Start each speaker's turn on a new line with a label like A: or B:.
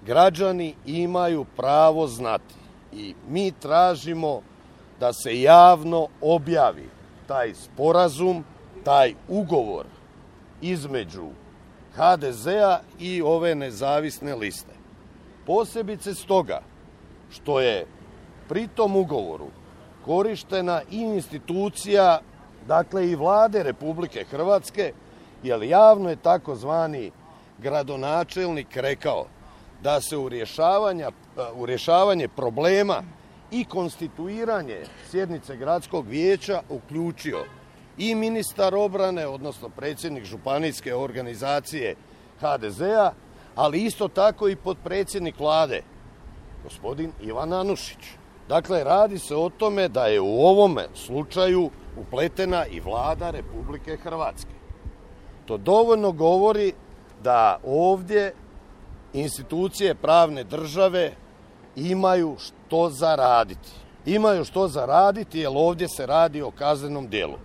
A: građani imaju pravo znati i mi tražimo da se javno objavi taj sporazum, taj ugovor između HDZ-a i ove nezavisne liste. Posebice stoga što je pri tom ugovoru korištena i institucija, dakle i Vlade Republike Hrvatske, jer javno je takozvani gradonačelnik rekao da se u rješavanje problema i konstituiranje sjednice gradskog vijeća uključio i ministar obrane, odnosno predsjednik županijske organizacije HDZ-a, ali isto tako i potpredsjednik Vlade, gospodin Ivan Anušić. Dakle, radi se o tome da je u ovome slučaju upletena i Vlada Republike Hrvatske. To dovoljno govori da ovdje institucije pravne države imaju što za raditi. Imaju što za raditi jer ovdje se radi o kaznenom djelu.